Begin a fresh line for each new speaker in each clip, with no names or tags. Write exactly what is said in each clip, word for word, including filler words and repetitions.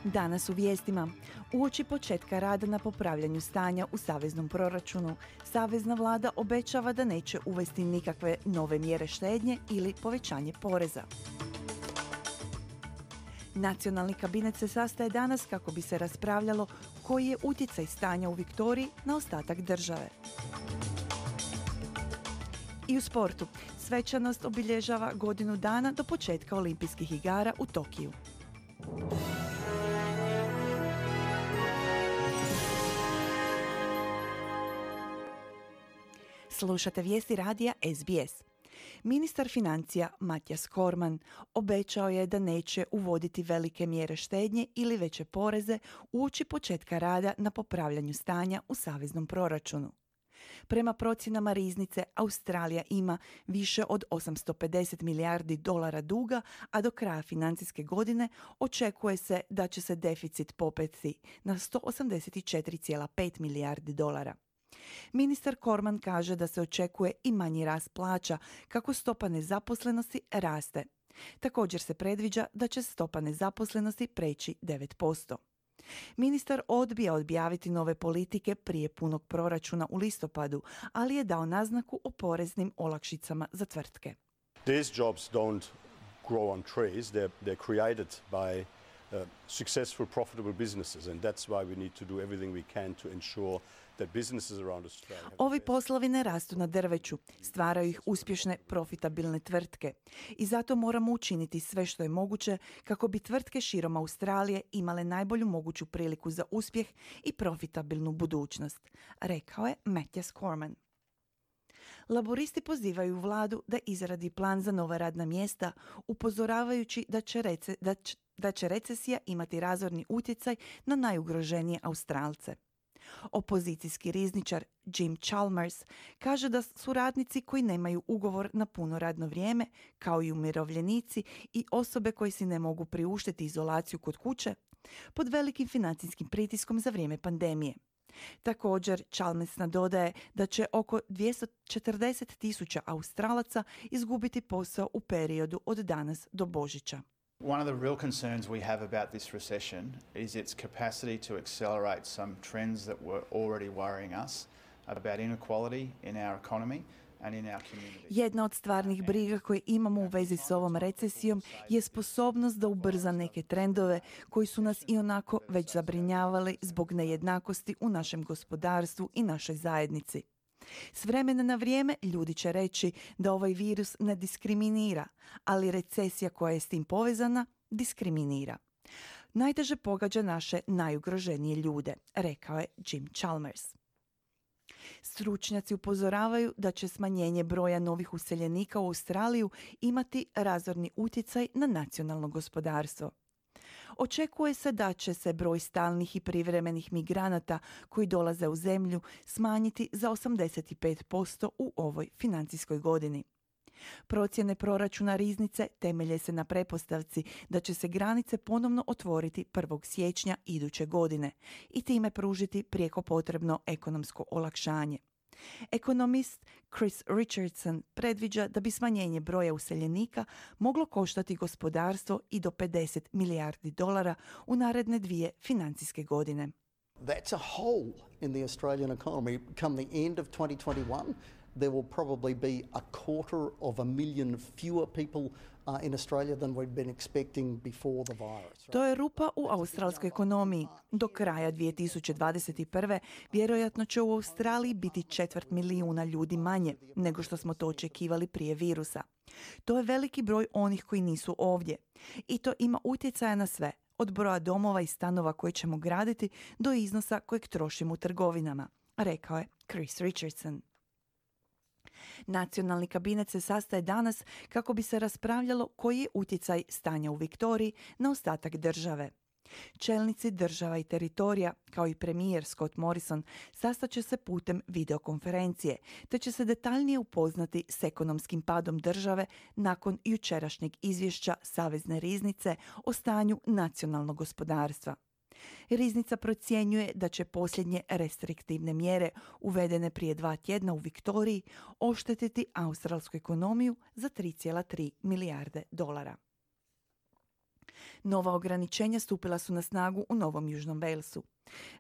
Danas u vijestima. Uoči početka rada na popravljanju stanja u saveznom proračunu, savezna vlada obećava da neće uvesti nikakve nove mjere štednje ili povećanje poreza. Nacionalni kabinet se sastaje danas kako bi se raspravljalo koji je utjecaj stanja u Viktoriji na ostatak države. I u sportu. Svečanost obilježava godinu dana do početka olimpijskih igara u Tokiju. Slušate vijesti radija S B S. Ministar financija Matjaž Kormann obećao je da neće uvoditi velike mjere štednje ili veće poreze uoči početka rada na popravljanju stanja u saveznom proračunu. Prema procjenama riznice, Australija ima više od osamsto pedeset milijardi dolara duga, a do kraja financijske godine očekuje se da će se deficit popeti na sto osamdeset četiri zarez pet milijardi dolara. Ministar Kormann kaže da se očekuje i manji rast plaća kako stopa nezaposlenosti raste. Također se predviđa da će stopa nezaposlenosti preći devet posto. Ministar odbija objaviti nove politike prije punog proračuna u listopadu, ali je dao naznaku o poreznim olakšicama za tvrtke.
These jobs don't grow on trees, they're, they're created by uh, successful, profitable businesses, and that's why we need to do everything we can to ensure that businesses around Australia have
Ovi poslovi ne rastu na drveću, stvaraju ih uspješne, profitabilne tvrtke. I zato moramo učiniti sve što je moguće kako bi tvrtke širom Australije imale najbolju moguću priliku za uspjeh i profitabilnu budućnost, rekao je Matjaž Kormann. Laboristi pozivaju vladu da izradi plan za nova radna mjesta, upozoravajući da će, rece, da će, da će recesija imati razorni utjecaj na najugroženije Australce. Opozicijski rizničar Jim Chalmers kaže da su radnici koji nemaju ugovor na puno radno vrijeme, kao i umirovljenici i osobe koji si ne mogu priuštiti izolaciju kod kuće, pod velikim financijskim pritiskom za vrijeme pandemije. Također, Chalmers nadodaje da će oko dvjesto četrdeset tisuća Australaca izgubiti posao u periodu od danas do Božića.
One of the real concerns we have about this recession is its capacity to accelerate some trends that were already worrying us about inequality in our economy and in our community.
Jedna od stvarnih briga koje imamo u vezi s ovom recesijom je sposobnost da ubrza neke trendove koji su nas ionako već zabrinjavali zbog nejednakosti u našem gospodarstvu i našoj zajednici. S vremena na vrijeme ljudi će reći da ovaj virus ne diskriminira, ali recesija koja je s tim povezana diskriminira. Najteže pogađa naše najugroženije ljude, rekao je Jim Chalmers. Stručnjaci upozoravaju da će smanjenje broja novih useljenika u Australiju imati razorni utjecaj na nacionalno gospodarstvo. Očekuje se da će se broj stalnih i privremenih migranata koji dolaze u zemlju smanjiti za osamdeset pet posto u ovoj financijskoj godini. Procjene proračuna riznice temelje se na pretpostavci da će se granice ponovno otvoriti prvog siječnja iduće godine i time pružiti prijeko potrebno ekonomsko olakšanje. Ekonomist Chris Richardson predviđa da bi smanjenje broja useljenika moglo koštati gospodarstvo i do pedeset milijardi dolara u naredne dvije financijske godine.
That's a hole in the Australian economy. Come the end of twenty twenty-one, there will probably be a quarter of a million fewer people uh, in Australia than we'd been expecting before the virus.
To je rupa u australskoj ekonomiji. Do kraja dvije tisuće dvadeset prve vjerojatno će u Australiji biti četvrt milijuna ljudi manje nego što smo to očekivali prije virusa. To je veliki broj onih koji nisu ovdje. I to ima utjecaja na sve, od broja domova i stanova koje ćemo graditi do iznosa kojeg trošimo u trgovinama, rekao je Chris Richardson. Nacionalni kabinet se sastaje danas kako bi se raspravljalo koji je utjecaj stanja u Viktoriji na ostatak države. Čelnici država i teritorija, kao i premijer Scott Morrison, sastaće se putem videokonferencije, te će se detaljnije upoznati s ekonomskim padom države nakon jučerašnjeg izvješća Savezne riznice o stanju nacionalnog gospodarstva. Riznica procjenjuje da će posljednje restriktivne mjere uvedene prije dva tjedna u Viktoriji oštetiti australsku ekonomiju za tri zarez tri milijarde dolara. Nova ograničenja stupila su na snagu u Novom Južnom Walesu.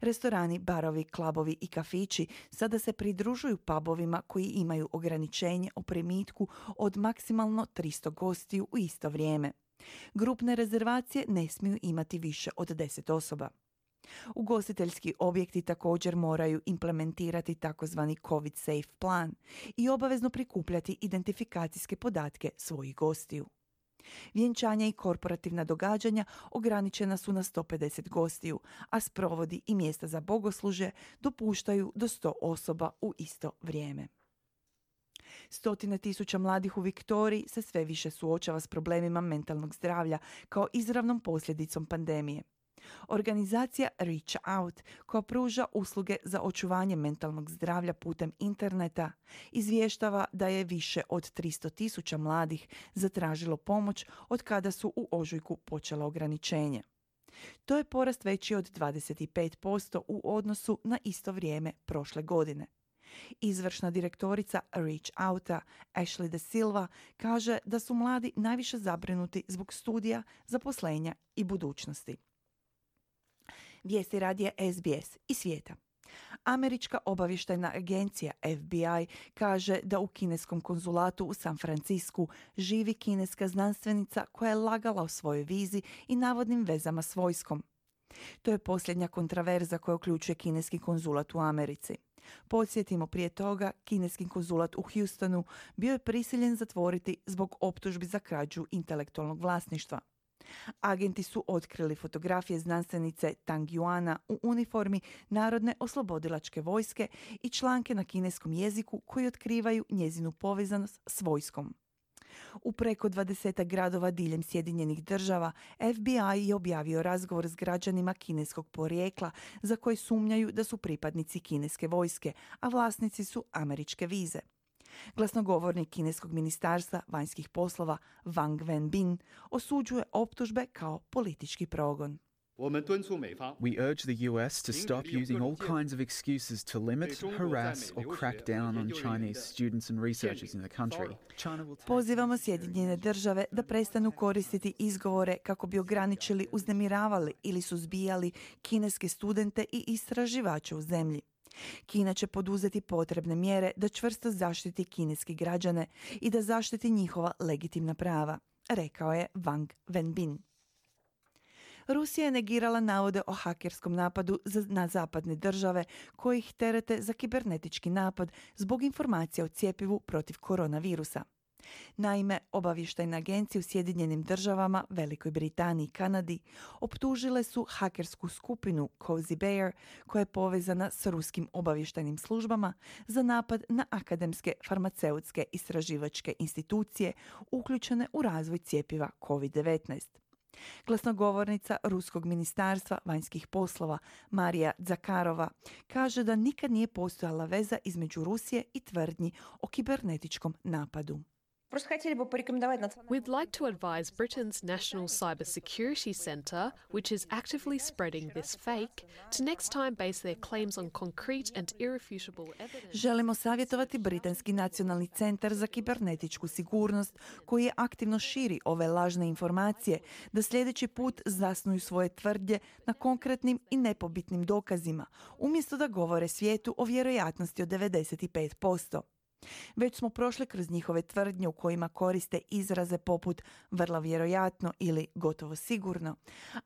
Restorani, barovi, klubovi i kafići sada se pridružuju pubovima koji imaju ograničenje o primitku od maksimalno tristo gostiju u isto vrijeme. Grupne rezervacije ne smiju imati više od deset osoba. Ugostiteljski objekti također moraju implementirati takozvani COVID safe plan i obavezno prikupljati identifikacijske podatke svojih gostiju. Vjenčanja i korporativna događanja ograničena su na sto pedeset gostiju, a sprovodi i mjesta za bogoslužje dopuštaju do sto osoba u isto vrijeme. Stotine tisuća mladih u Viktoriji se sve više suočava s problemima mentalnog zdravlja kao izravnom posljedicom pandemije. Organizacija Reach Out, koja pruža usluge za očuvanje mentalnog zdravlja putem interneta, izvještava da je više od tristo tisuća mladih zatražilo pomoć od kada su u ožujku počela ograničenje. To je porast veći od dvadeset pet posto u odnosu na isto vrijeme prošle godine. Izvršna direktorica Reach Outa, Ashley De Silva, kaže da su mladi najviše zabrinuti zbog studija, zaposlenja i budućnosti. Vijesti radija S B S i svijeta. Američka obavještajna agencija F B I kaže da u kineskom konzulatu u San Francisku živi kineska znanstvenica koja je lagala o svojoj vizi i navodnim vezama s vojskom. To je posljednja kontraverza koja uključuje kineski konzulat u Americi. Podsjetimo, prije toga, kineski konzulat u Houstonu bio je prisiljen zatvoriti zbog optužbi za krađu intelektualnog vlasništva. Agenti su otkrili fotografije znanstvenice Tang Yuana u uniformi Narodne oslobodilačke vojske i članke na kineskom jeziku koji otkrivaju njezinu povezanost s vojskom. U preko dvadeset gradova diljem Sjedinjenih država F B I je objavio razgovor s građanima kineskog porijekla za koje sumnjaju da su pripadnici kineske vojske, a vlasnici su američke vize. Glasnogovornik kineskog ministarstva vanjskih poslova Wang Wenbin osuđuje optužbe kao politički progon.
We urge the U S to stop using all kinds of excuses to limit, harass or crack down on Chinese students and researchers in the country.
Pozivamo Sjedinjene države da prestanu koristiti izgovore kako bi ograničili, uznemiravali ili suzbijali kineske studente i istraživače u zemlji. Kina će poduzeti potrebne mjere da čvrsto zaštiti kineske građane i da zaštiti njihova legitimna prava, rekao je Wang Wenbin. Rusija je negirala navode o hakerskom napadu na zapadne države koji ih terete za kibernetički napad zbog informacija o cjepivu protiv koronavirusa. Naime, obavještajne agencije u Sjedinjenim državama, Velikoj Britaniji i Kanadi optužile su hakersku skupinu Cozy Bear, koja je povezana s ruskim obavještajnim službama, za napad na akademske farmaceutske istraživačke institucije uključene u razvoj cjepiva covid devetnaest. Glasnogovornica Ruskog ministarstva vanjskih poslova Marija Zakarova kaže da nikad nije postojala veza između Rusije i tvrdnji o kibernetičkom napadu.
We'd like to advise Britain's National Cybersecurity Centre, which is actively spreading this fake, to next time base their claims on concrete and irrefutable evidence.
Želimo savjetovati Britanski nacionalni centar za kibernetičku sigurnost, koji je aktivno širi ove lažne informacije, da sljedeći put zasnuju svoje tvrdnje na konkretnim i nepobitnim dokazima, umjesto da govore svijetu o vjerojatnosti od devedeset pet posto. Već smo prošli kroz njihove tvrdnje u kojima koriste izraze poput vrlo vjerojatno ili gotovo sigurno,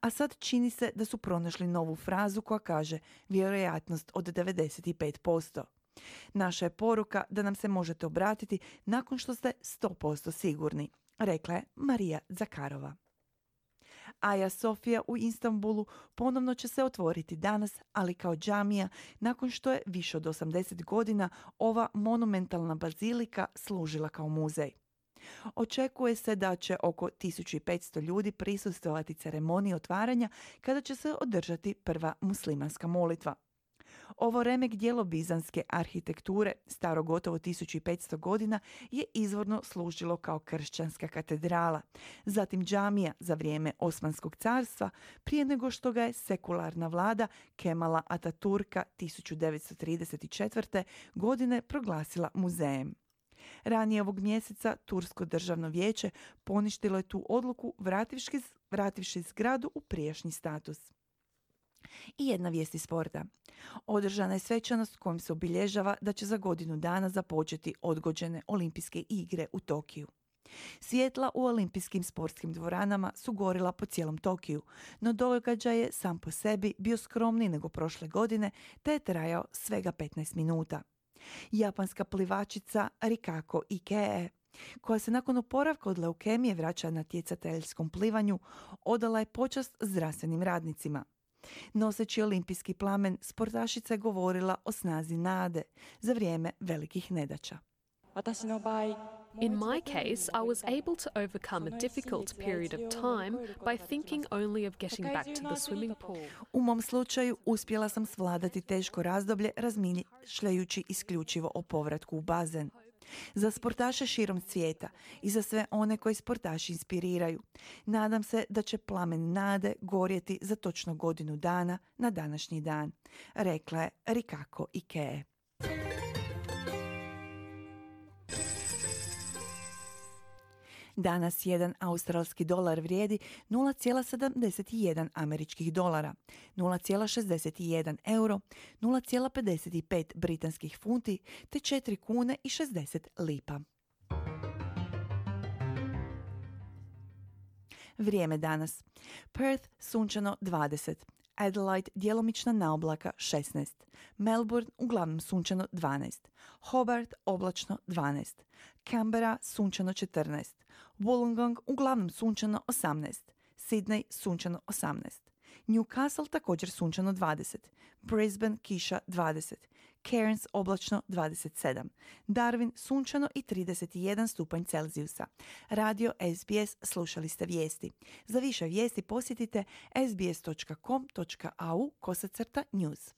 a sad čini se da su pronašli novu frazu koja kaže vjerojatnost od devedeset pet posto. Naša je poruka da nam se možete obratiti nakon što ste sto posto sigurni, rekla je Marija Zakarova. Aja Sofija u Istanbulu ponovno će se otvoriti danas, ali kao džamija, nakon što je više od osamdeset godina ova monumentalna bazilika služila kao muzej. Očekuje se da će oko tisuću petsto ljudi prisustvovati ceremoniji otvaranja kada će se održati prva muslimanska molitva. Ovo remek dijelo bizanske arhitekture, staro gotovo tisuću petsto godina, je izvorno služilo kao kršćanska katedrala, zatim džamija za vrijeme Osmanskog carstva, prije nego što ga je sekularna vlada Kemala Ataturka tisuću devetsto trideset četvrte. godine proglasila muzejem. Ranije ovog mjeseca Tursko državno vijeće poništilo je tu odluku vrativši, vrativši zgradu u prijašnji status. I jedna vijest iz sporta. Održana je svečanost kojom se obilježava da će za godinu dana započeti odgođene olimpijske igre u Tokiju. Svjetla u olimpijskim sportskim dvoranama su gorila po cijelom Tokiju, no događaj je sam po sebi bio skromniji nego prošle godine te je trajao svega petnaest minuta. Japanska plivačica Rikako Ikee, koja se nakon oporavka od leukemije vraća na natjecateljskom plivanju, odala je počast zdravstvenim radnicima. Noseći olimpijski plamen, sportašica je govorila o snazi nade za vrijeme velikih nedaća.
In my case, I was able to overcome a difficult period of time by thinking only of getting back to the swimming pool.
U mom slučaju uspjela sam svladati teško razdoblje razmišljajući isključivo o povratku u bazen. Za sportaše širom svijeta i za sve one koji sportaši inspiriraju, nadam se da će plamen nade gorjeti za točno godinu dana na današnji dan, rekla je Rikako Ikee. Danas jedan australski dolar vrijedi nula zarez sedamdeset jedan američkih dolara, nula zarez šezdeset jedan euro, nula zarez pedeset pet britanskih funti te četiri kune i šezdeset lipa. Vrijeme danas. Perth sunčano dvadeset, Adelaide djelomična naoblaka šesnaest, Melbourne uglavnom sunčano dvanaest, Hobart oblačno dvanaest, Canberra sunčano četrnaest, Wollongong uglavnom sunčano osamnaest, Sydney sunčano osamnaest, Newcastle također sunčano dvadeset, Brisbane kiša dvadeset, Cairns oblačno dvadeset sedam, Darwin sunčano i trideset jedan stupanj Celzijusa. Radio S B S, slušali ste vijesti. Za više vijesti posjetite sbs dot com dot a u kosacrta news.